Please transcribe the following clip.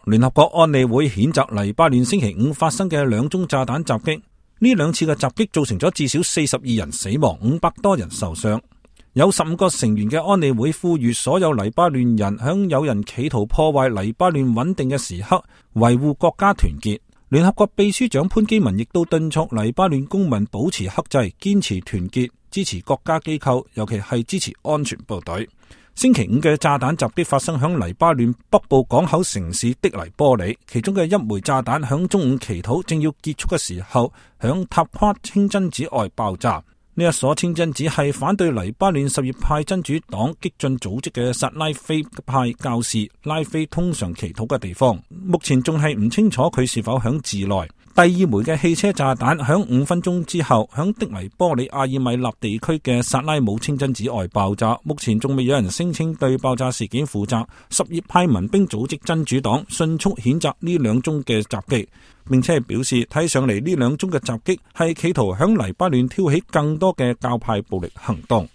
聯合國安理會譴責黎巴嫩星期五發生嘅2宗炸彈襲擊，呢2次嘅襲擊造成咗至少42人死亡，500多人受傷。有15個成員嘅安理會呼籲所有黎巴嫩人響有人企圖破壞黎巴嫩穩定嘅時刻維護國家團結。聯合國秘書長潘基文亦都敦促黎巴嫩公民保持克制，堅持團結，支持國家機構，尤其係支持安全部隊。星期五嘅炸彈襲擊發生響黎巴嫩北部港口城市的黎波里，其中嘅一枚炸彈響中午祈禱正要結束嘅時候，響塔夸清真寺外爆炸。呢一所清真寺係反對黎巴嫩什葉派真主黨激進組織嘅薩拉菲派教士拉菲通常祈禱嘅地方。目前仲係唔清楚佢是否響寺內。第2枚嘅汽車炸彈響5分鐘之後響的黎波里阿爾米納地區嘅薩拉姆清真寺外爆炸，目前仲未有人聲稱對爆炸事件負責。什葉派民兵組織真主黨迅速譴責呢2宗嘅襲擊，並且係表示睇上嚟呢2宗嘅襲擊係企圖響黎巴嫩挑起更多嘅教派暴力行動。